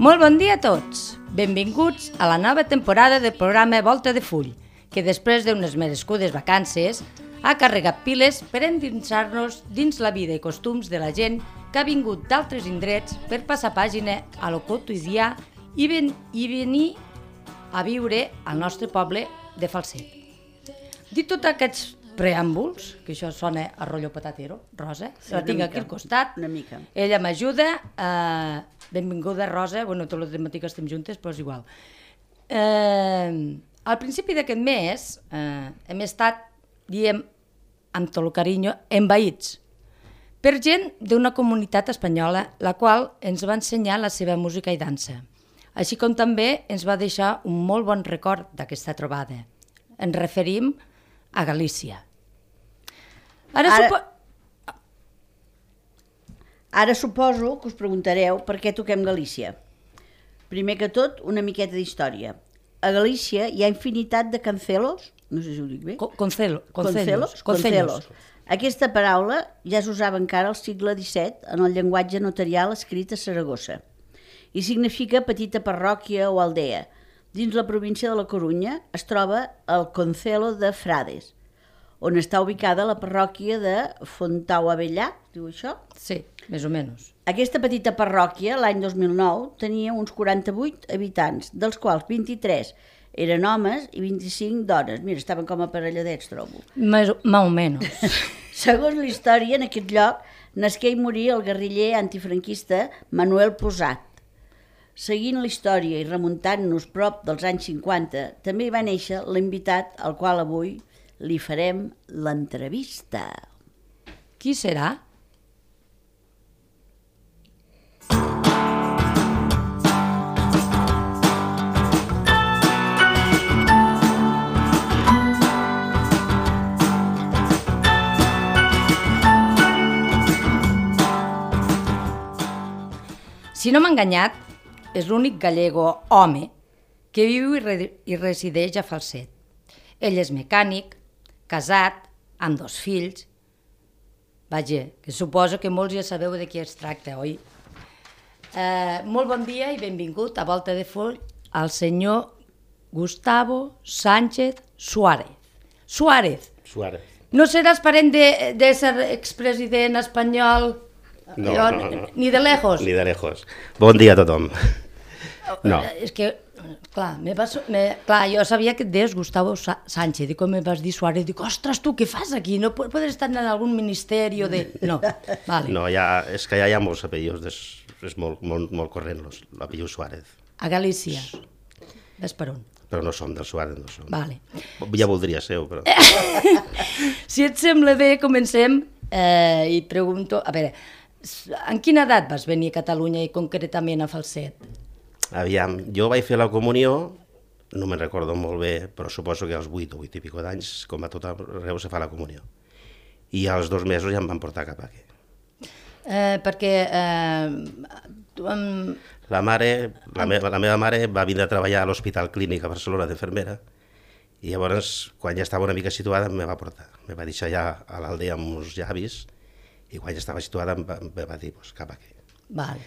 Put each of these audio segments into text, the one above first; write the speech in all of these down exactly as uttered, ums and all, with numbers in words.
Molt bon dia a tots! Benvinguts a la nova temporada del programa Volta de Full, que després d'unes merescudes vacances ha carregat piles per endinsar-nos dins la vida i costums de la gent que ha vingut d'altres indrets per passar pàgina a lo quotidià i, ven i venir a viure al nostre poble de Falset. Dit tots aquests preàmbuls, que això sona a rotllo patatero, Rosa, sí, la tinc mica, aquí al costat, una mica. Ella m'ajuda, eh, benvinguda Rosa, bueno, tot el matí que estem juntes, però és igual. Eh, al principi d'aquest mes eh, hem estat, diem, amb tot el carinyo, envaïts per gent d'una comunitat espanyola, la qual ens va ensenyar la seva música i dansa, així com també ens va deixar un molt bon record d'aquesta trobada. Ens referim a Galícia. Ara, ara, supo... ara suposo que us preguntareu per què toquem Galícia. Primer que tot, una miqueta d'història. A Galícia hi ha infinitat de cancelos, no sé si ho dic bé. Concelo, concelos, concelos. Aquesta paraula ja s'usava encara al segle disset en el llenguatge notarial escrit a Saragossa i significa petita parròquia o aldea. Dins la província de la Corunya es troba el Concelo de Frades, on està ubicada la parròquia de Fontau-Abellà, diu això? Sí, més o menys. Aquesta petita parròquia, l'any dos mil nou, tenia uns quaranta-vuit habitants, dels quals vint-i-tres eren homes i vint-i-cinc dones. Mira, estaven com aparelladets, trobo. Més o menys. Segons la història, en aquest lloc nasqué i morí el guerriller antifranquista Manuel Posat. Seguint la història i remuntant-nos prop dels anys cinquanta, també hi va néixer l'invitat al qual avui li farem l'entrevista. Qui serà? Si no m'ha enganyat, és l'únic gallego home que viu i, re i resideix a Falset. Ell és mecànic, casat, amb dos fills. Vaja, que suposo que molts ja sabeu de qui es tracta, oi? Eh, molt bon dia i benvingut a Volta de Full al senyor Gustavo Sánchez Suárez. Suárez. Suárez. No seràs parent de, de ser expresident espanyol? No, jo, no, no. Ni de lejos? Ni de lejos. Bon dia a tothom. No. És que, clar, me vas, me, clar, jo sabia que et deies Gustavo Sánchez, i com me vas dir Suárez, dic, ostres, tu, què fas aquí? No pots estar en algun ministeri de... No, vale. No, ja, és que ja hi ha molts apellidos, és, és molt, molt, molt corrent l'apelliu Suárez. A Galícia. Ves per on? Però no som del Suárez, no som. Vale. Ja voldria ser-ho, però... Si et sembla bé, comencem eh, i pregunto... A veure, en quina edat vas venir a Catalunya i concretament a Falset? Aviam, jo vaig fer la comunió, no me'n recordo molt bé, però suposo que als vuit o vuit i pico d'anys, com a tot arreu se fa la comunió. I als dos mesos ja em van portar cap aquí. Eh, perquè... Eh, tu, um... La mare, la, me la meva mare va vindre a treballar a l'Hospital Clínic a Barcelona d'infermera i llavors, quan ja estava una mica situada, me va portar. Me va deixar ja a l'aldea amb uns llavis i quan ja estava situada em va, me va dir, pues, cap aquí. Val.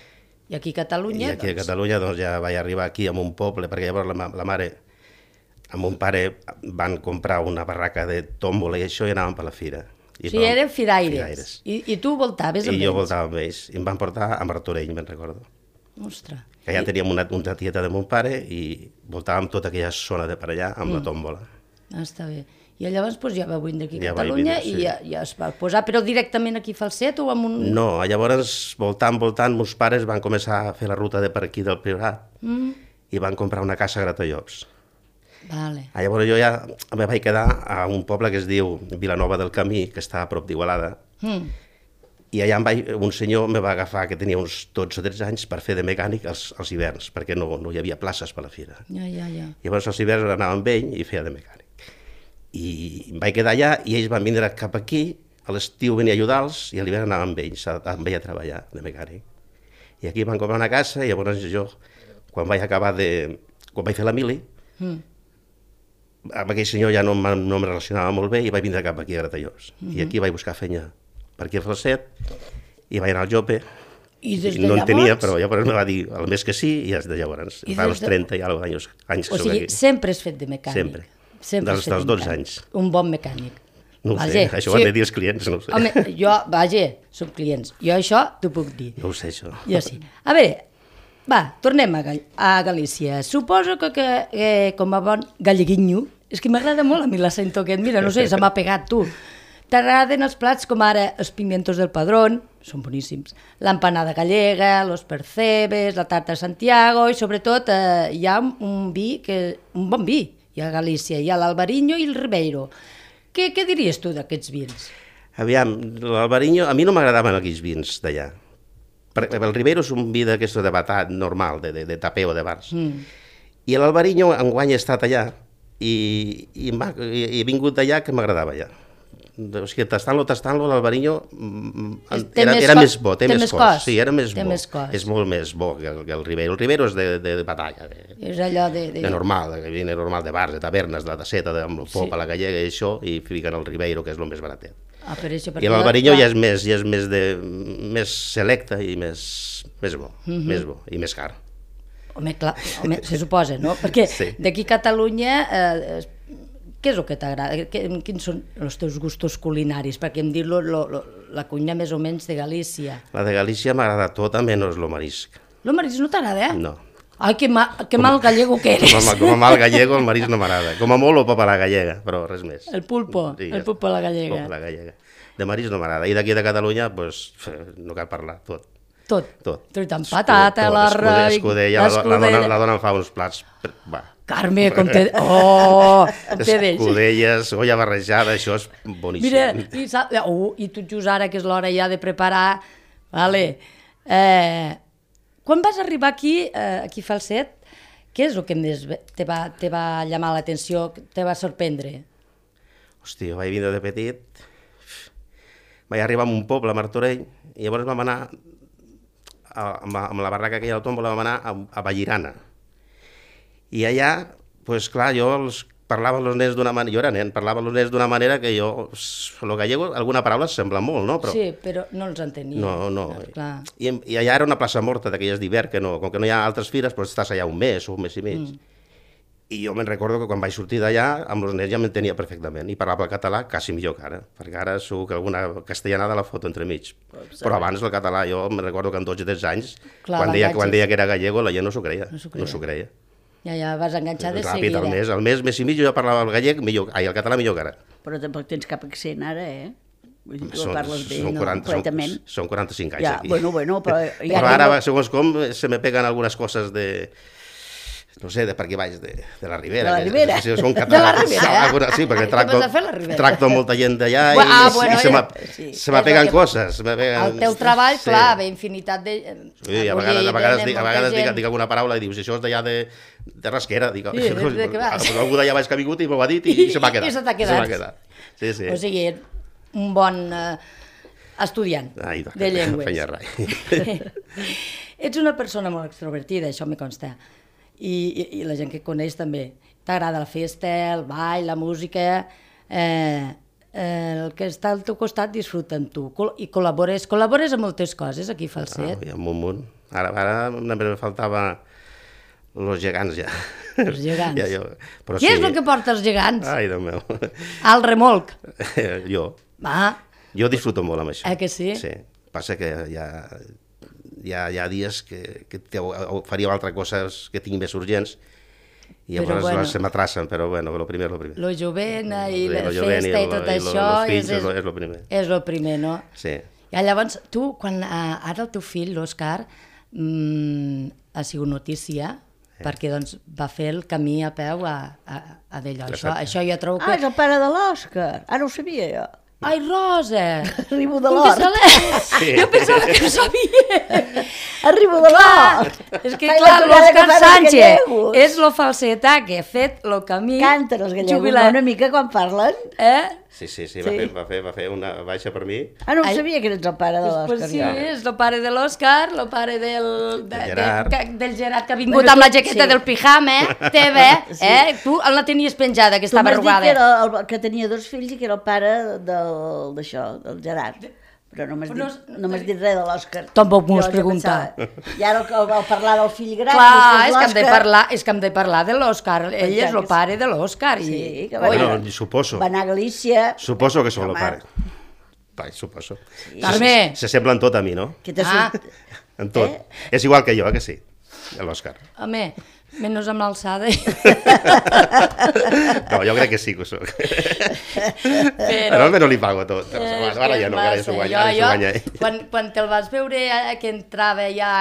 I aquí a Catalunya? I aquí doncs... a Catalunya doncs, ja vaig arribar aquí a un poble, perquè llavors la, la mare amb mon pare van comprar una barraca de tòmbola i això i anàvem per la fira. I o sigui, eren firaires. firaires. I, I tu voltaves amb I ells? jo voltava amb ells. I em van portar a Martorell, me'n recordo. Ostres. Que ja I... teníem una, una tieta de mon pare i voltàvem tota aquella zona de per allà amb mm. la tòmbola. Ah, està bé. I llavors doncs, ja va vindre aquí a ja Catalunya vindre, sí. i ja, ja es va posar, però directament aquí a Falset o amb un... No, llavors, voltant, voltant, meus pares van començar a fer la ruta de per aquí del Priorat mm. i van comprar una casa a Gratallops. Vale. Ah, llavors jo ja me vaig quedar a un poble que es diu Vilanova del Camí, que està a prop d'Igualada, mm. i allà em vaig, un senyor me va agafar, que tenia uns dotze o tretze anys, per fer de mecànic els, els hiverns, perquè no, no hi havia places per la fira. Ja, ja, ja. Llavors els hiverns anava amb ell i feia de mecànic. I em vaig quedar allà i ells van vindre cap aquí, a l'estiu venia a ajudar-los i a l'hivern anava amb ells, amb ell a treballar de mecànic. I aquí van comprar una casa i llavors jo, quan vaig acabar de... quan vaig fer la mili, mm. amb aquell senyor ja no, no em relacionava molt bé i vaig vindre cap aquí a Gratallops. Mm -hmm. I aquí vaig buscar feina per aquí a Falset i vaig anar al Jope I des de no en llavors... tenia, però llavors me va dir el mes que sí i des de llavors. I Fa des uns de- trenta i alguna anys, anys que O soc sigui, aquí. sempre has fet de mecànic. Sempre. Sempre Dels- has fet dels de dotze mecànic. anys. Un bon mecànic. No ho Vaja, sé, això ho sí. han de dir els clients, no ho sé. Home, jo, vaja, som clients. Jo això t'ho puc dir. No ho sé, això. Jo sí. A veure, va, tornem a, Gal a Galícia. Suposo que, que eh, com a bon galleguinyo, és que m'agrada molt a mi l'accento aquest, mira, no sé, se m'ha pegat, tu. T'agraden els plats com ara els pimientos del Padrón, són boníssims, l'empanada gallega, los percebes, la tarta de Santiago i sobretot eh, hi ha un, un vi, que, un bon vi, hi ha a Galícia, hi ha l'Albariño i el Ribeiro. Què, què diries tu d'aquests vins? Aviam, l'Albariño, a mi no m'agradaven aquells vins d'allà. Per- El Ribeiro és un vi d'aquesto de batat normal, de, de, de tapeo de bars. Mm. I l'Albariño enguany he estat allà i, i, m'ha- i he vingut d'allà que m'agradava allà. O sigui, tastant-lo, tastant-lo, l'Albariño mm, Té era, més era cos- més bo, té, té més més cos. cos. Sí, era més Té bo. més cos. És molt més bo que el, que el Ribeiro. El Ribeiro és de, de, de batalla, de, És allò de... de... de normal, de vine normal, de bars, de tavernes, de taceta, de, amb el pop Sí. a la gallega i això, i fiquen el Ribeiro, que és el més baratet. Ah, per això, I l'Albariño ja és més, ja és més, de, més selecte i més, més bo, Mhm. més bo i més car. Home, clar, home, se suposa, no? Perquè Sí. d'aquí a Catalunya, eh, què és el que t'agrada? Què- Quins són els teus gustos culinaris? Perquè em dir lo, lo, lo, la cuina més o menys de Galícia. La de Galícia m'agrada tota, menys el marisc. Lo marisc no t'agrada, eh? No. Ai, que, ma, que mal gallego que eres. Com a, com a mal gallego, el marisc no m'agrada. Com a molt, el pop a la gallega, però res més. El pulpo, Sí, el pulpo a la gallega. Pop a la gallega. De marisc no m'agrada. I d'aquí de Catalunya, doncs, no cal parlar, tot. Tot. Tot. Tot amb patata, Tot, l'arròs... escudella, la, la, dona, la dona em fa uns plats... Va. Carme, com té... Oh, com té d'ells. Escudelles, olla barrejada, això és boníssim. Mira, i, sap, uh, i tot just ara, que és l'hora ja de preparar, vale. Eh, quan vas arribar aquí, eh, aquí a Falset, què és el que més te va, te va llamar l'atenció, te va sorprendre? Hòstia, vaig vindre de petit, vaig arribar a un poble, a Martorell, i llavors vam anar, a, amb, la, amb la barraca aquella del Tómbola, vam anar a, a Vallirana. I allà, doncs clar, jo els parlava els nens d'una manera, jo era nen, parlava els nens d'una manera que jo, el gallego, alguna paraula sembla molt, no? Però, Sí, però no els entenia. no, no. Clar. I, I allà era una plaça morta d'aquelles d'hivern, que no, com que no hi ha altres fires, doncs estàs allà un mes o un mes i mig. Mm. I jo me'n recordo que quan vaig sortir d'allà, amb els nens ja m'entenia perfectament, i parlava el català quasi millor que ara, perquè ara segur que alguna castellanada la foto entremig. Però abans el català, jo me'n recordo que amb dotze o tretze anys, Clar, quan, deia, quan l'enganxes. deia que era gallego, la gent no s'ho creia. No s'ho creia. No s'ho creia. Ja, ja vas enganxar de Ràpid, seguida. al mes, al mes, mes i mig, jo ja parlava el gallec millor, ai, el català millor que ara. Però tampoc tens cap accent ara, eh? Vull dir, tu Són- parles bé, són no, quaranta, són, completament. són quaranta-cinc anys Ja, aquí. bueno, bueno, però... Ja Però ara, arriba- segons com, se me peguen algunes coses de... No sé, de per aquí baix, de, de la Ribera. De la que- Ribera? Sí, són De la catalans. Ribera? Alguna- Sí, perquè Què tracto, vas a fer a la Ribera? tracto amb molta gent d'allà i, Ah, bueno, i se me, sí. se me És peguen el que- coses. Se me peguen... El teu treball, Sí. clar, ve infinitat de... Sí, a vegades, a vegades, dic, a vegades dic, dic alguna paraula i dius, això és d'allà de, de Rasquera. Dic, Sí, de- de què vas? algú d'allà baix que ha vingut i m'ho ha dit i, i se m'ha quedat. I se t'ha Se m'ha quedat. quedat. Sí, sí. O sigui, un bon eh, estudiant Ai, de llengües. feia rai. Ets una persona molt extrovertida, això me consta. I, i, i la gent que coneix també. T'agrada la festa, el ball, la música... Eh, eh, el que està al teu costat disfruta amb tu col i col·labores, col·labores amb moltes coses aquí a Falset. Ah, hi ha un munt. Ara, ara només me faltava los gegants ja. Els gegants. Ja, jo, però Què és el que porta els gegants? Ai, Déu meu. Al remolc. jo. Ah, Jo disfruto molt amb això. Eh que sí? Sí. Passa que hi ha, hi ha, hi ha dies que, que te- faria altres coses que tinc més urgents i Però llavors bueno. se m'atracen, però bueno, lo primer és lo primer. lo jovent i Sí, la lo jovent i festa i lo- tot i lo- això los fills és, és lo- és lo primer. és lo primer, no? Sí. I llavors, tu, quan eh, ara el teu fill, l'Òscar, mm, ha sigut notícia, perquè doncs, va fer el camí a peu a, a, a d'allò. Això, Exacte. això jo trobo Ah, és que... el pare de l'Òscar. Ara ho sabia jo. Ai, Rosa! Arribo de Com que l'hort. se l'he- Sí. Jo pensava que ho sabia. Arribo de l'hort. És que, Ai, clar, la tonada que l'Òscar fan els Sánchez gallegos. és lo falsetà que ha fet el camí... Canten els gallegos jubilat. una mica quan parlen. Eh? Sí, sí, sí, va, Sí. Fer, va, fer, va fer una baixa per mi. Ah, no ho Ai. sabia que eres el pare de Pues, l'Òscar. pues sí, jo. és el pare de l'Òscar, el pare del, de, Del Gerard. De, que- del Gerard que ha vingut Bueno, amb la tu- jaqueta sí. del pijama, eh? Teva, eh? Tu la tenies penjada, que Tu estava m'has dit que, arrugada. era el, que tenia dos fills i que era el pare del- d'això, del Gerard. Però no m'has Però dit, no- no m'has dit res de l'Òscar. Tampoc m'ho has Jo ja preguntat. pensava, I ara el, el parlar del fill gran... Clar, després és que hem de l'Òscar, parlar, és que hem de parlar de l'Òscar. Ell és el que sí. pare de l'Òscar. I... Sí, que va, Oi, Bueno, suposo. va anar a Galícia... Suposo que sou el Home. pare. Vai, suposo. Carme. Se, se semblen tot a mi, no? Que t'ha Ah. sort... En tot. Eh? És igual que jo, eh, que sí? L'Òscar. Home, menys amb l'alçada. No, jo crec que sí que ho soc. Però... Però no li pago tot. Però, És ara que ja no, ara ja s'ho massa. guanya, ara ja Jo- s'ho guanya ell. jo, quan, quan te'l vas veure eh, que entrava ja...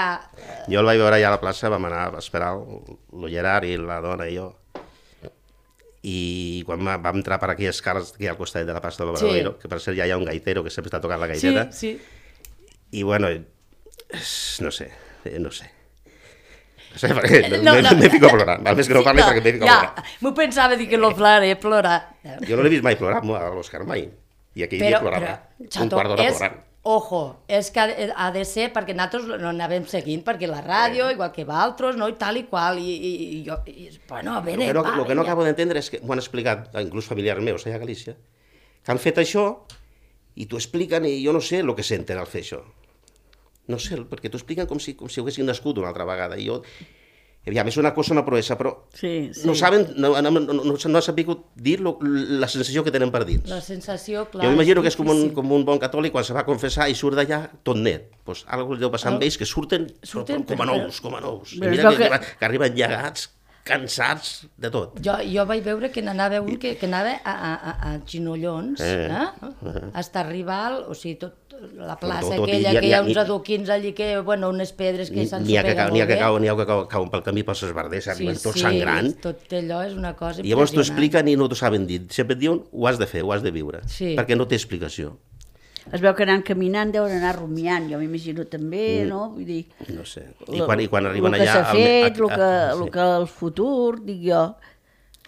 Jo el vaig veure allà a la plaça, vam anar a esperar el, el Gerard i la dona i jo. I quan va- vam entrar per aquelles escales que hi ha al costat de la plaça de l'Obradoiro, Sí. que per cert ja hi ha un gaitero que sempre està tocant la Sí, gaiteta, sí. i bueno, és- no sé, eh, no sé. No sé, perquè No, no, no. no. me fico a plorar. Val més que no parli no, perquè me fico a ja, plorar. m'ho pensava dir que lo ploraré, plorar. Jo no l'he vist mai plorar a l'Òscar, mai. I aquell dia plorava. Un Chato, quart d'hora és, plorant. ojo, és que ha de, ha de ser perquè nosaltres no anàvem seguint, perquè la ràdio, igual que altres, no, i tal i qual, i, i, i jo, i, bueno, a El veure, que no, va, el que no vinga. acabo d'entendre és que m'ho han explicat, inclús familiars meus allà a Galícia, que han fet això i t'ho expliquen i jo no sé el que senten al fer això. No sé, perquè t'ho expliquen com si, com si haguessin nascut una altra vegada. I jo, aviam, és una cosa, una proesa, però Sí, sí. no saben, no, no, no, no, no han sabut dir lo, la sensació que tenen per dins. La sensació, clar... Jo m'imagino que és com un, difícil. com un bon catòlic quan se va a confessar i surt d'allà tot net. Pues, algo li deu passar amb ells que surten, Surten, com a però- nous, com a nous. I Però mira es veu que, que- que... que arriben llegats, cansats de tot. Jo, jo vaig veure que n'anava un que, que anava a, a, a, a ginollons, Eh, eh? eh? Hasta arribar, al, o sigui, tot la plaça Tot, tot, i aquella, hi ha- que hi hi ha- ha uns ni- adoquins allí que, bueno, unes pedres que N'hi s'han ha que, supeguen cau- n'hi ha molt que, bé. cau, n'hi ha que cau, cauen pel camí pels esbarders, arriben tot sangrant. tot allò és una cosa I llavors t'ho impressionant. expliquen i no t'ho saben dir. Sempre et diuen, ho has de fer, ho has de viure. Sí. Perquè no té explicació. Es veu que anant caminant deuen anar rumiant, jo m'imagino també, no? Vull dir... No sé. I quan, i quan arriben el que allà... s'ha al- fet, a- el que, a- el sí. que el futur, dic jo.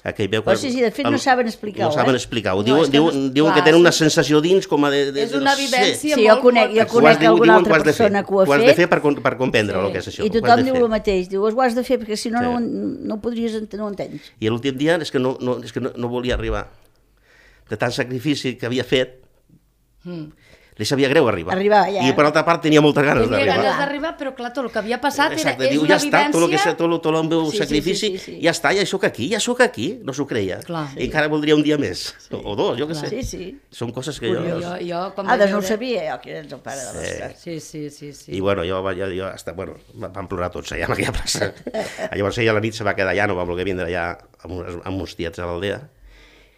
Aquell veu Però sí, sí, de fet no saben explicar-ho, No saben eh? explicar-ho. No, Diuen, és que diuen, no- diuen clar, que tenen una sí. sensació dins com a de... de És una no sé. vivència Sí, jo molt, conec- molt... jo Ho has conec de- alguna diuen altra ho has de fer. persona que ho ha Ho has de fet. fer per, com- per comprendre Sí. el que és això. I ho has tothom de diu fer. el mateix, diu, ho has de fer, perquè si no, Sí. no, no ho podries ent no ho entens. I l'últim dia és que, no, no, és que no, no volia arribar. De tant sacrifici que havia fet, Mm. li sabia greu arribar. Arribar, ja. I per altra part tenia moltes ganes Tenia d'arribar. ganes d'arribar, però clar, tot el que havia passat era, Exacte, és diu, una ja està, tot el, que, vivència... tot, el- tot el meu Sí, sí, sacrifici, sí, sí, sí. ja està, ja sóc aquí, ja sóc aquí, no s'ho creia. Clar. I encara voldria un dia més, o, o dos, jo què sé. Sí, sí. Són coses que jo... Jo, jo, quan Ah, vaig doncs no ho veure- sabia jo, que eres el pare de l'Òscar. Sí, sí, sí, sí. I bueno, jo, jo, jo hasta, bueno, vam plorar tots allà en aquella plaça. Llavors ella a la nit se va quedar allà, no va voler vindre allà amb, uns, amb uns tiets a l'aldea,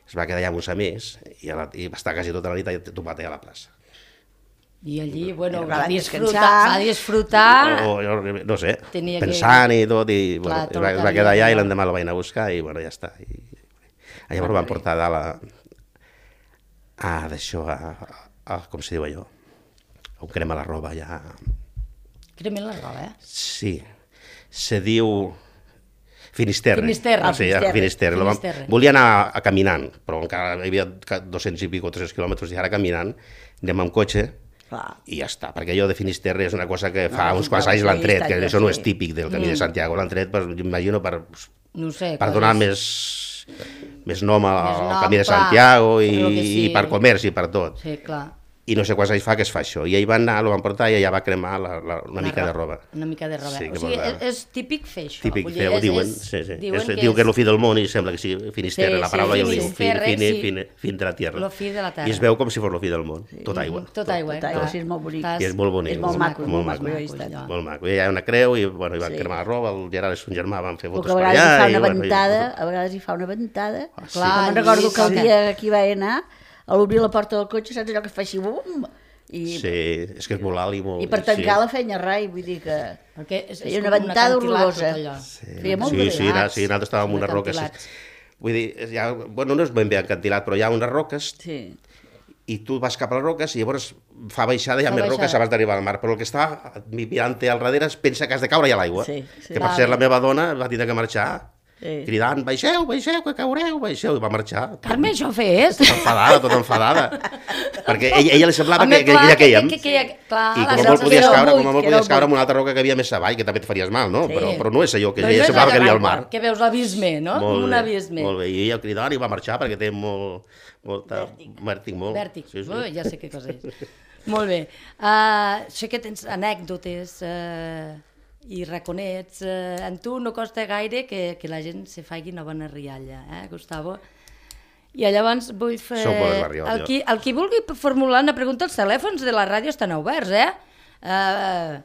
es va quedar allà amb uns amics i, a la, i va estar quasi tota la nit allà topat allà a la plaça. I allí, bueno, I va van disfrutar, descansar. va disfrutar... O, o, no sé, Tenia que- pensant i tot, i bueno, Clar, es tot va, el es que va quedar havia allà i de- l'endemà el van anar a buscar i bueno, ja està. I, i llavors van portar a dalt a, a d'això, a, a, a, com se diu allò, a un crema la roba allà. Cremen la roba, eh? Sí, se diu Finisterre. Finisterre. Ah, sí, Finisterre. Finisterre. Lo vam- Finisterre. Volia anar a caminant, però encara hi havia dos-cents i pico, tres-cents quilòmetres, i ara caminant, anem amb cotxe, Clar. i ja està, perquè allò de Finisterre és una cosa que fa No, uns sí, quants clar, anys sí, l'han tret, està que ja, això no sí. és típic del Camí de Santiago, l'han tret, per, imagino, per, No ho sé. per coses- donar més, més nom al Més nom, Camí de clar, Santiago i, però que sí. i per comerç i per tot. Sí, clar. I no sé quants anys fa que es fa això. I ell va anar, el van portar i allà va cremar la, la, una mica de roba. Una mica de roba. Sí, o que sigui, molt és, raro. és típic fer això. Típic, Vull dir, feu, és- diuen, és- sí, sí. diuen És, que diu que és és- el fi del món i sembla que sí, Finisterre, Sí, la paraula sí, ja ho diu, fin, Finisterre, fin, sí. fin, fin de la tierra. Lo fi de la terra. I es veu com si fos el fi del món, tot aigua. Tot aigua, eh? Tot aigua, clar. sí, és molt bonic. Estàs- I és molt bonic. És molt maco, molt molt maco. maco, jo hi he estat. allò. Molt maco. I hi ha una creu i, bueno, i van Sí. cremar la roba, el Gerard i son germà van fer O fotos que a per vegades hi allà. fa i, una bueno, i- ventada, a vegades hi fa una ventada. Ah, sí. Clar, Me'n recordo que el sí, dia que hi va anar, a l'obrir la porta del cotxe, saps allò que fa així, bum? I, Sí, és que és molt alt i molt... i per tancar sí. la feina rai, vull dir que... Perquè és, és Feia com una un ventada acantilat, horrorosa. tot allò. Sí, Feia molt sí, de sí, na- sí, nosaltres estàvem en Són unes roques. acantilats. Vull dir, és ja, bueno, no és ben bé acantilat, però hi ha unes roques Sí. i tu vas cap a les roques i llavors fa baixada i hi ha Fa més baixada. roques abans d'arribar al mar, però el que està mirant-te al darrere es pensa que has de caure ja a l'aigua. Sí, sí. Que per Vale. cert la meva dona va tindre que marxar Sí. cridant, baixeu, baixeu, que caureu, baixeu, i va marxar. Carme, això fes! Tota enfadada, tota enfadada. Perquè ella, ella li semblava Home, que, que, clar, que, quèiem. que, que, que, clar, I la com a que molt era podies el caure, buit, com a molt que era el podies caure buit. en una altra roca que havia més avall, que també et faries mal, no? Sí. Però, però no és allò, que No ella és semblava que allà havia al dalt, mar. Que veus l'abisme, no? Com un bé, abisme. molt bé. I ella cridant i va marxar perquè té molt, molta... Vèrtic. molt. Vèrtic. Sí, sí. Ui, ja sé què cosa és. Molt bé. Uh, sé que tens anècdotes uh, i raconets. Uh, en tu no costa gaire que, que la gent se faci una bona rialla, eh, Gustavo? I llavors vull fer... Sou bones barriol, el, qui, el qui vulgui formular una pregunta, els telèfons de la ràdio estan oberts, eh? Uh,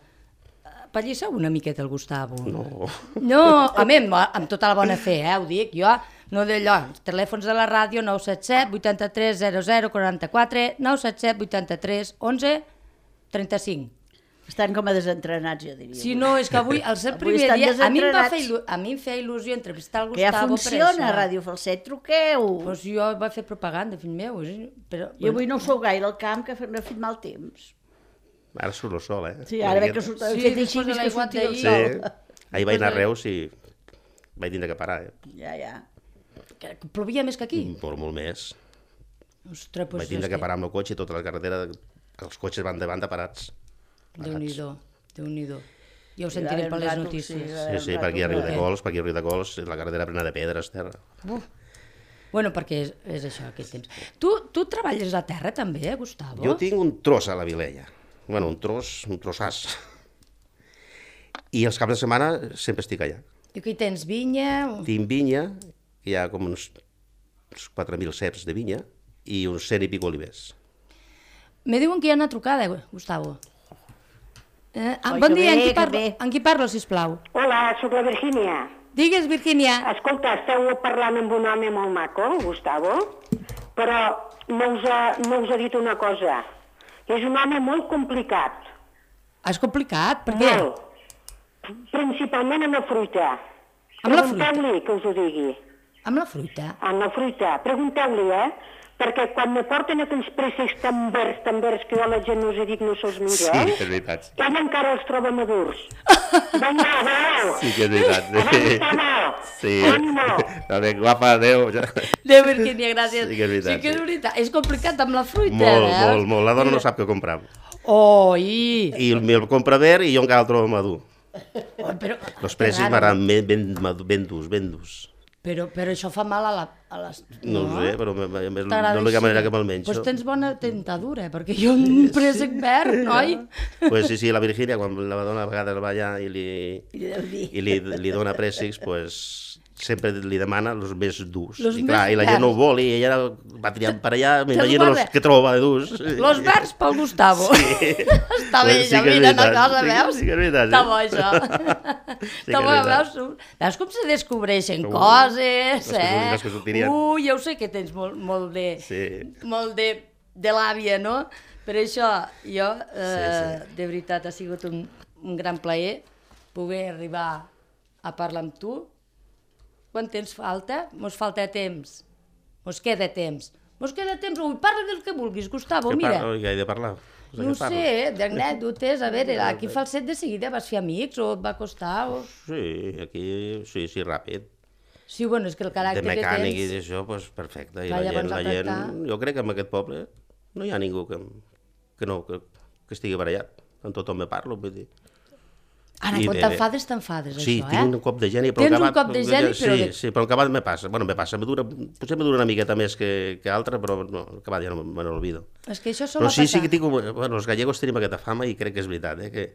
Pallissa una miqueta el Gustavo. No. No, a mi, amb, amb tota la bona fe, eh, ho dic, jo, no d'allò. Telèfons de la ràdio, nou set set, vuitanta-tres, zero zero, quaranta-quatre, nou set set, vuitanta-tres, onze, trenta-cinc. Estan com a desentrenats, jo diria. Si no, és que avui, al ser el Avui primer estan dia, a mi, em va desentrenats. fer il·lu... a mi em feia il·lusió entrevistar el Que ja Gustavo funciona, per això. Ràdio Falset, truqueu. Pues jo vaig fer propaganda, fill meu. Però, I avui no ho sou gaire al camp, que no ha fet mal temps. Ara surt el sol, eh? Sí, ara veig que surt el Sí, fet després així, de vist que l'aiguat sortia el d'ahir. sol. Sí. Ahir vaig anar a Reus i vaig tindre que parar, eh? Ja, ja. que plovia més que aquí. Molt, molt més. Ostres, pues Vaig tindre és que parar amb el cotxe i tota la carretera, els cotxes van de banda parats. Déu-n'hi-do, Déu-n'hi-do. Ja ho Sí, sentirem ara per un les rato, notícies. sí, Sí, sí, per aquí a Riu de Cols, per aquí a Riu de Cols, la carretera plena de pedres, terra. Uf. Bueno, perquè és, és això, aquest temps. Tu, tu treballes a terra també, eh, Gustavo? Jo tinc un tros a la Vilella. Bueno, un tros, un trossàs. I els caps de setmana sempre estic allà. I aquí tens vinya... Tinc vinya, hi ha com uns, uns quatre mil ceps de vinya i uns cent i pico olivers. Me diuen que hi ha una trucada, Gustavo. Eh, ah, Oi, bon que dia, amb bé, qui, que parlo, bé. amb qui parlo, sisplau? Hola, sóc la Virgínia. Digues, Virgínia. Escolta, esteu parlant amb un home molt maco, Gustavo, però no us ha, no us ha dit una cosa. És un home molt complicat. És complicat, per què? Molt. Principalment amb la fruita. Amb la fruita? Pregunteu-li que us ho digui. Amb la fruita? Amb la fruita. Pregunteu-li, eh? Perquè quan me porten aquells préssecs tan verds, tan verds, que jo a la gent no us dic no se'ls mira, eh? és veritat. Ell encara els troba madurs. Vinga, adéu! Sí que és veritat. Adéu, Sí. Ànimo! També, guapa, adéu. Déu, Virgínia, gràcies. Sí que és veritat, Sí que és sí. veritat. És complicat amb la fruita, Molt, veus? molt, molt. La dona no sap què comprar. Oh, i... I el compra verd i jo encara el trobo madur. Oh, però, Els que precis raro. m'agraden ben, ben, madu- ben durs, ben durs. Però, però això fa mal a, la, a les... No, ho sé, però me- me- me- T'agrada no és l'única així? manera que me'l menjo. Doncs tens bona tentadura, perquè jo un préssec verd, noi? Pues sí, sí, la Virgínia, quan la dona a vegades va allà i li, I deu dir. i li, li dona préssics, pues, sempre li demana els més durs. Los I clar, més i la gent no ho verds. vol i ella va triant per allà, m'imagino guarda. els que troba de durs. Los verds pel Gustavo. Sí. Està bé, Sí ja que és mira una veritat, cosa, sí que- veus? sí que és veritat, Està sí. bo, això. que Està és bo, veritat. veus? Veus com se descobreixen Ui, coses, les que- eh? les que sortirien. Ui, ja ho sé que tens molt, molt de... Sí. Molt de, de l'àvia, no? Per això, jo, eh, Sí, de veritat, ha sigut un, un gran plaer poder arribar a parlar amb tu. Quant temps falta? Mos falta temps. Mos queda temps. Mos queda temps. Ui, parla del que vulguis, Gustavo, Què mira. parlo? Què he de parlar? De No què ho parlo? sé, d'anècdotes, a veure, aquí Falset de seguida vas fer amics o et va costar? O... Sí, aquí, sí, sí, ràpid. Sí, bueno, és que el caràcter De mecànic que i tens... d'això, doncs perfecte. I Clar, la gent, llavors la a gent, tractar. jo crec que en aquest poble no hi ha ningú que, que no, que, que estigui barallat. Amb tothom me parlo, vull dir. Ara, I quan de- t'enfades, t'enfades, Sí, això, tinc eh? un cop de geni, però Tens al un acabat... cop de geni, però Sí, de- sí, però al acabat me passa. Bueno, me passa, me dura, potser me dura una miqueta més que, que altra, però no, al acabat ja no me n'olvido. És que això sol Però sí, passar. sí que tinc... un- Bueno, els gallegos tenim aquesta fama i crec que és veritat, eh? Que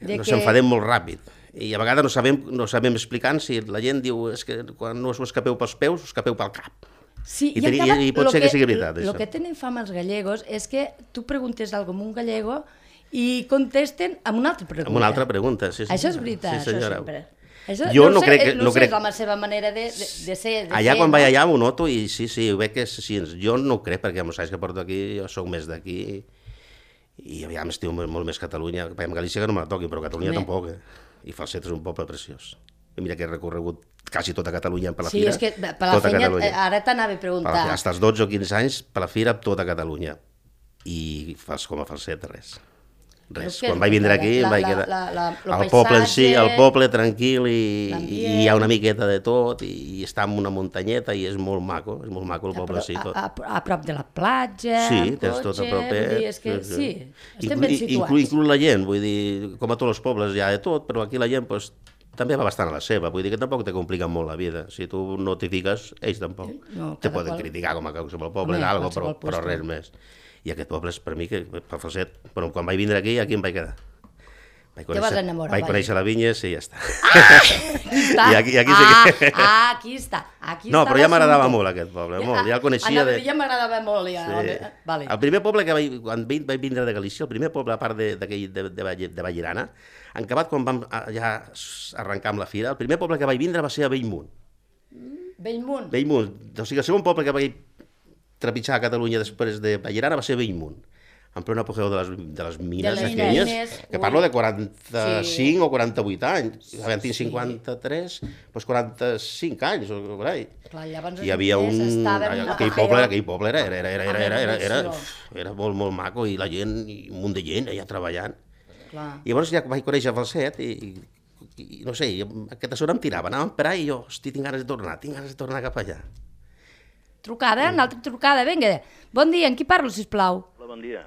De nos que- enfadem molt ràpid. I a vegades no sabem, no sabem explicar si la gent diu és que quan no us ho escapeu pels peus, us escapeu pel cap. Sí, I i, teni- encara i pot lo ser que sigui veritat, El això. que tenen fama els gallegos és que tu preguntes alguna cosa a un gallego i contesten amb una altra pregunta. Amb una altra pregunta, sí, sí. Això és veritat, Sí, això senyora. sempre. Això, Jo no, no sé, crec que- no, no sé, crec- és la seva manera de, de, de ser. De Allà ser, quan no? vaig allà ho noto i sí, sí, ho veig que sí, jo no ho crec perquè amb els anys que porto aquí, jo sóc més d'aquí i aviam estiu molt, molt més Catalunya, perquè amb Galícia que no me la toqui, però Catalunya Home. tampoc. Eh? I Falset és un poble preciós. I mira que he recorregut quasi tota Catalunya per la Sí, fira. és que per la tota feina, Catalunya. eh, ara t'anava a preguntar. Per la- Hasta els dotze o quinze anys per la fira tota Catalunya. I fas com a Falset, res. Res. Però què Quan és vaig vindre la- aquí, la- em vaig la- quedar... la- la- lo el poble en si, paisatge, el poble tranquil i, l'ambient. i hi ha una miqueta de tot i, i està en una muntanyeta i és molt maco, és molt maco el poble en si a, tot. a, a prop de la platja, Sí, amb tens tot a cotxe, propet. vull dir, és que sí, estem Inclu- ben i- situats. Inclús inclu la gent, vull dir, com a tots els pobles hi ha de tot, però aquí la gent pues, també va bastant a la seva, vull dir que tampoc te compliquen molt la vida. Si tu no t'hi fiques, ells tampoc. No, te cada poden qual- criticar com a qualsevol poble Home, d'algo, però, qualsevol però puesto. res més. I aquest poble és per mi, que per Falset, bueno, quan vaig vindre aquí, aquí em vaig quedar. Vaig Te vas enamorar, vaig conèixer la vinya, sí, ja està. Està. I aquí, aquí sí que... Ah, ah, aquí està. Aquí No, està però ja m'agradava l'assumpte. molt aquest poble, molt. Ja el coneixia Anava a de... dir, ja m'agradava molt, ja. Sí. Vale. El primer poble que vaig, quan vaig vaig vindre de Galícia, el primer poble, a part de, de, de, de, Vall- de Vallirana, en acabat quan vam ah, ja arrencar amb la fira, el primer poble que vaig vindre va ser a Bellmunt. Bellmunt. Bellmunt. O sigui, el segon poble que vaig trepitjar a Catalunya després de Vallirana va ser Bellmunt, en plena apogeu de les, de les mines les aquelles, mines, que ui. parlo de quaranta-cinc Sí. o quaranta-vuit anys. Ara en tinc cinquanta-tres, doncs quaranta-cinc anys, o per ahí. Clar, llavors Hi havia un... els estaven en Aquell apogeu. poble, aquell poble era, era, era, era, era, era, era, era, revolució. era molt, molt maco, i la gent, i un munt de gent allà treballant. Clar. I llavors ja vaig conèixer Falset i, i, i no sé, i aquesta zona em tirava, anàvem per ahí i jo, hosti, tinc ganes de tornar, tinc ganes de tornar cap allà. Trucada, una altra trucada, vinga. Bon dia, amb qui parlo, sisplau? Hola, bon dia.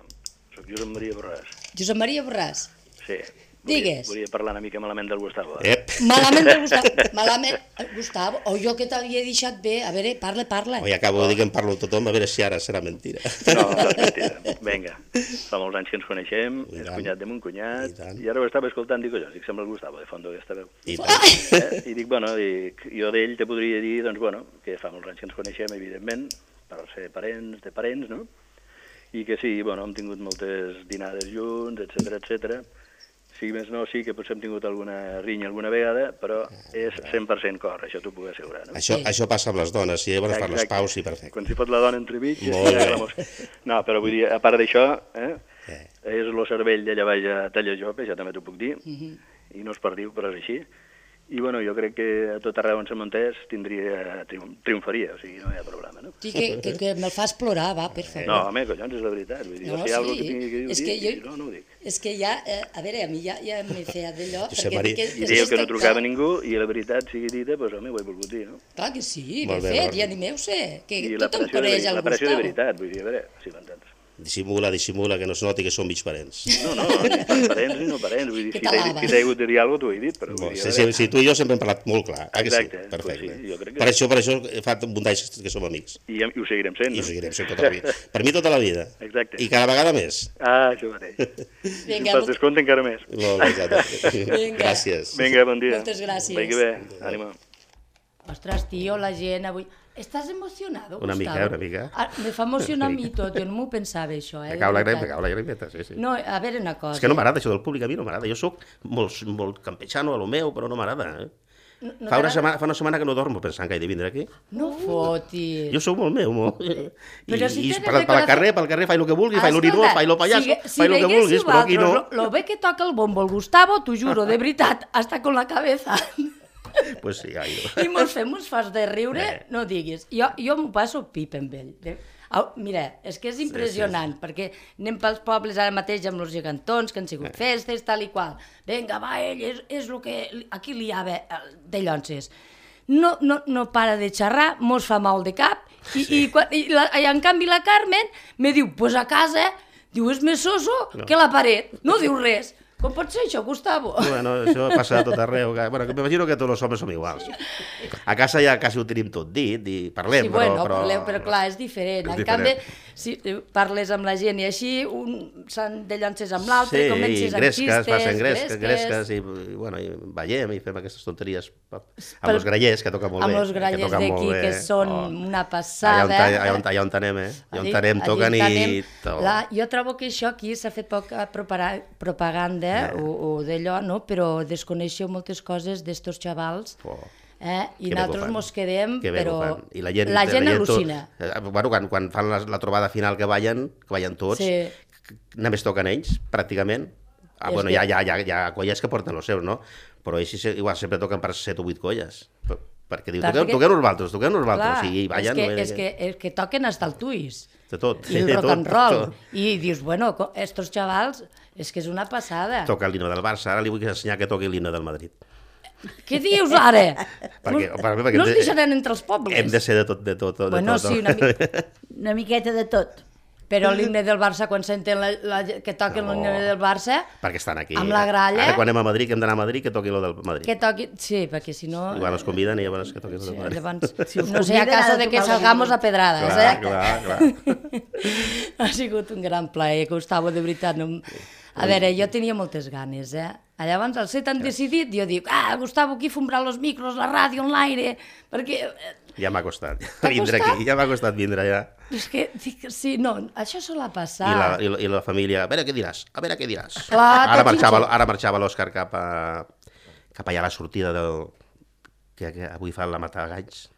Soc Josep Maria Borràs. Josep Maria Borràs. Sí. Digues. Volia, volia parlar una mica malament del Gustavo. Ep! Malament de Gustavo. Malament. Gustavo, o jo que t'havia deixat bé. A veure, parla, parla. Oi, acabo de dir que em parlo amb tothom, a veure si ara serà mentira. No, no és mentida. Vinga. Fa molts anys que ens coneixem, I és tant. cunyat de mon I cunyat, tant. i ara ho estava escoltant, dic, jo, dic, sembla el Gustavo, de fondo, aquesta veu. I tant. Eh? I dic, bueno, dic, jo d'ell te podria dir, doncs, bueno, que fa molts anys que ens coneixem, evidentment, per ser parents de parents, no? I que sí, bueno, hem tingut moltes dinades junts, etcètera, etcètera. Si més no, sí que potser hem tingut alguna rinya alguna vegada, però és cent per cent cor, això t'ho puc assegurar, no? Això, això passa amb les dones, si volen fer les Exacte. paus, sí, perfecte. Quan s'hi fot la dona entremig... Molt ja bé. la mos- No, però vull dir, a part d'això, eh, Eh. és el cervell d'allà baix a Tallajope, això també t'ho puc dir, Mhm. i no es perdiu, però és així. I bueno, jo crec que a tot arreu on se muntés tindria, triom- triomfaria, o sigui, no hi ha problema, no? Sí, que, que, que me'l fas plorar, va, per favor. No, home, collons, és la veritat. Vull dir, No, si hi ha alguna sí. que tingui que dir, És ho que dic, jo- no, no ho dic. És que ja, eh, a veure, a mi ja, ja m'he fet d'allò, Josep perquè... Maria. que- I és dèieu que no estic- trucava ningú, i la veritat sigui dita, doncs home, ho he volgut dir, no? Clar que sí, Molt ben bé, fet, molt ja bé. animeu-se, que I la tothom pressió, de, coneix el la pressió de Gustavo. veritat, vull dir, a veure, si m'entens. Dissimula, dissimula, que no es noti que som mig parents. No, no, ni parents ni no parents, vull dir, Que si t'he t'alaba. si t'he hagut de dir alguna cosa, t'ho he dit, però vull Bon, dir, sí, a sí, veure, sí, tu i jo sempre hem parlat molt clar, eh, que sí? Exacte, Perfecte. pues sí, jo crec que per, sí. això, per això fa un d'anys que som amics. I, i ho seguirem sent, I no? ho seguirem sent tota la vida. Per mi tota la vida. Exacte. I cada vegada més. Ah, això mateix. Vinga, Per molt- descompte encara més. Molt bé, exacte. Vinga. Gràcies. Vinga, bon dia. Moltes gràcies. Vagi bé, ànima. Ostres, tio, la gent avui... Estàs emocionado, Una mica, Gustavo? una mica. Ah, me fa emocionar a mi tot, jo no m'ho pensava, això, eh? Me de cau la veritat. grem, me cau la gremeta, sí, sí. No, a veure una cosa. És que no m'agrada això del públic, a mi no m'agrada. Jo sóc molt, molt campechano a lo meu, però no m'agrada. Eh? No, no Fa, una t'agrada? setmana, fa una setmana que no dormo pensant que he de vindre aquí. No fotis. Jo sóc molt meu, molt. I, Però si i tens per, de per al corazón- carrer, pel carrer, faig el que vulgui, faig l'orinó, Escolta, faig el pallasso, si, si faig el que veiéssiu vulguis, però aquí no. vosaltres Lo, lo bé que toca el bombo el Gustavo, t'ho juro, de veritat, hasta con la cabeza. Pues sí, ai, I mos fem uns fas de riure, Eh. no diguis. Jo, jo m'ho passo pip amb ell. De- Au, mira, és que és impressionant, perquè anem pels pobles ara mateix amb els gegantons, que han sigut Eh. festes, tal i qual. Vinga, va, ell és, és el que li- aquí li ha de llonces. No, no, no para de xerrar, mos fa mal de cap, i, sí. i, quan, i, la, i en canvi la Carmen me diu, pues a casa, diu, és més soso No. que la paret, no diu res. Com pot ser això, Gustavo? Bueno, això passa a tot arreu. Que, bueno, que m'imagino que tots els homes som iguals. A casa ja quasi ho tenim tot dit i parlem, Sí, bueno, però, però... parleu, però clar, és diferent. És en diferent. canvi, si parles amb la gent i així, un se'n de llances amb l'altre, Sí, i comences amb gresques, xistes, passen gresques, gresques i, i, bueno, i ballem i fem aquestes tonteries amb Pel- els grallers, que toca molt amb bé. els grallers que toquen molt d'aquí, bé. que són Oh. una passada. Allà on, allà on, allà on anem, eh? Allà on anem, Allí toquen anem. i... tot. La, jo trobo que això aquí s'ha fet poca propara- propaganda Eh. o, o d'allò, no? Però desconeixeu moltes coses d'estos xavals. Oh. Eh? I Que bé que ho nosaltres fan. mos quedem, Que bé que ho però fan. I la gent, la gent tot- al·lucina. eh, bueno, quan, quan fan la, la trobada final que ballen, que ballen tots, Sí. que només toquen ells, pràcticament. Ah, És bueno, que- hi ha, hi, ha, hi, ha, hi ha colles que porten els seus, no? Però ells sí- igual sempre toquen per set o vuit colles. Per- Perquè diu, Clar, toqueu, perquè- toqueu nosaltres, toqueu nosaltres. Clar, O sigui, ballen... és, que, no, és, que, és que toquen hasta el tuis. De tot. I el de rock tot, and roll. tot. I dius, bueno, co- estos xavals, és que és una passada. Toca l'himne del Barça, ara li vull ensenyar que toqui l'himne del Madrid. Què dius ara? Perquè- no, perquè- no ens perquè- deixaran entre els pobles. Hem de ser de tot, de tot, de Bueno, tot. sí, una mica. Una miqueta de tot. Però l'himne del Barça, quan senten la, la, que toquen No. l'himne del Barça, Perquè estan aquí. amb la gralla... Ara quan anem a Madrid, que hem d'anar a Madrid, que toqui lo del Madrid. que toquin... Sí, perquè si no... I quan ens conviden, i llavors que toqui lo Sí, del Madrid. llavors, Si us no sé, a conviden, caso ha de de que tocar el salgamos a Madrid. pedrades, Clar, eh? clar, clar. Ha sigut un gran plaer, Gustavo, de veritat. No... A veure, jo tenia moltes ganes, eh? Llavors, al ser tan decidit, jo dic, ah, Gustavo, aquí fumbrà los micros, la ràdio, l'aire, perquè... Ja m'ha costat T'ha vindre costat? aquí, ja m'ha costat vindre ja. És que, dic, sí, no, això sol a passar. I la, i, la, I la família, a veure què diràs, a veure què diràs. Clar, ara, tot marxava, xinxet. ara marxava l'Òscar cap, a, cap allà a la sortida del... que, que avui fan la Matagalls.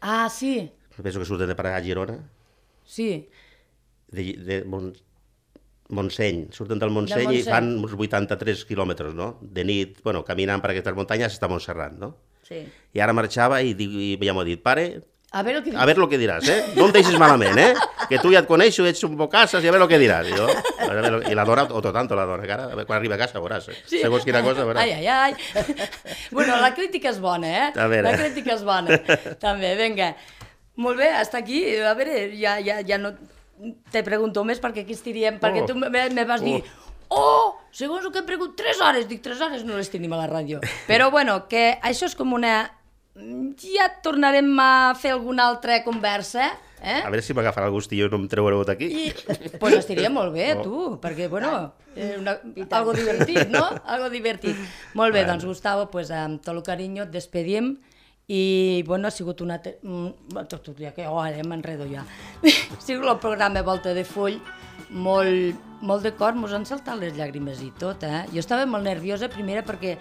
Ah, sí, Penso que surten de per allà a Girona. sí. De, de Mont, Montseny, surten del Montseny, Del i Montseny. fan uns vuitanta-tres quilòmetres, no? De nit, bueno, caminant per aquestes muntanyes està a Montserrat, no? Sí. I ara marxava i, diu, i ja m'ho ha dit, pare, A veure el que... a veure el que diràs, eh? No em deixis malament, eh? Que tu ja et coneixo, ets un bocasses i a veure el que diràs. I, jo, a veure, i la dona, otro tanto la dona, que ara, a veure, quan arriba a casa veuràs, eh? Sí. Segons quina cosa veuràs. Ai, ai, ai. Bueno, la crítica és bona, eh? A veure. La crítica és bona. També, vinga. Molt bé, hasta aquí. A veure, ja, ja, ja no te pregunto més perquè aquí estiríem, perquè Oh. tu me, me vas dir oh, segons el que hem pregut, tres hores. Dic, tres hores no les tenim a la ràdio. Però bueno, que això és com una... Ja tornarem a fer alguna altra conversa, eh? A veure si m'agafarà el gustillo i no em treureu d'aquí. I, pues estaria molt bé, tu, perquè, bueno, eh, una, algo divertit, no? Algo divertit. Molt bé, Bueno. doncs, Gustavo, pues, amb tot el carinyo et despedim i, bueno, ha sigut una... Te... mm, Tot, tot, ja que, oh, ara m'enredo ja. Ha sigut el programa Volta de Full, molt, molt de cor, mos han saltat les llàgrimes i tot, eh? Jo estava molt nerviosa, primera, perquè,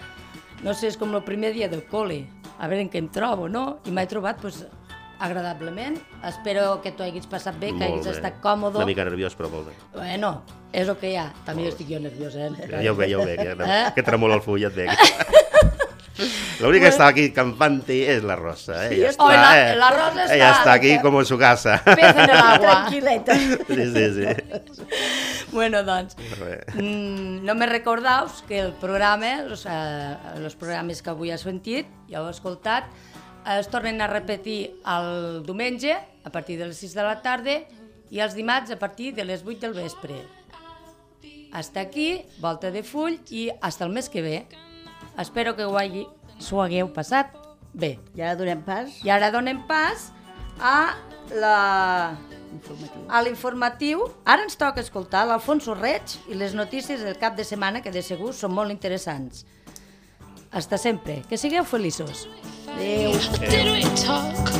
no sé, és com el primer dia del col·le, a veure en què em trobo, no? I m'he trobat, doncs, agradablement. Espero que t'ho haguis passat bé, que Molt haguis bé. estat còmode. Una mica nerviós, però molt bé. Bueno, és el que hi ha. També estic jo nerviosa, eh? Ja ho veig, ja ho veig, que, Eh? que tremola el full, ja et veig. L'única que està aquí campante és la Rosa, eh? Ja Oh, està, la- eh? la Rosa està- Ella està aquí com en su casa. Pez en el agua. Tranquil·leta. Sí, sí, sí. Bueno, doncs, Molt bé. mm, no me recordaus que el programa, els, eh, els programes que avui has sentit, ja heu escoltat, es tornen a repetir el diumenge a partir de les sis de la tarda i els dimarts a partir de les vuit del vespre. Hasta aquí, Volta de Full, i hasta el mes que ve. Espero que ho hagi, s'ho hagueu passat bé. I ara donem pas I ara donem pas a la... informatiu. a l'informatiu. Ara ens toca escoltar l'Alfonso Reig i les notícies del cap de setmana, que de segur són molt interessants. Hasta sempre. Que sigueu feliços. Adéu. Did we talk?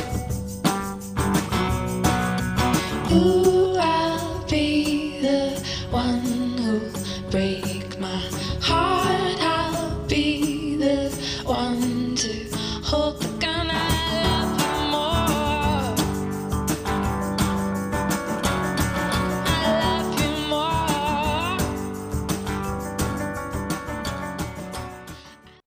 Ooh, I'll be the one who'll break my heart.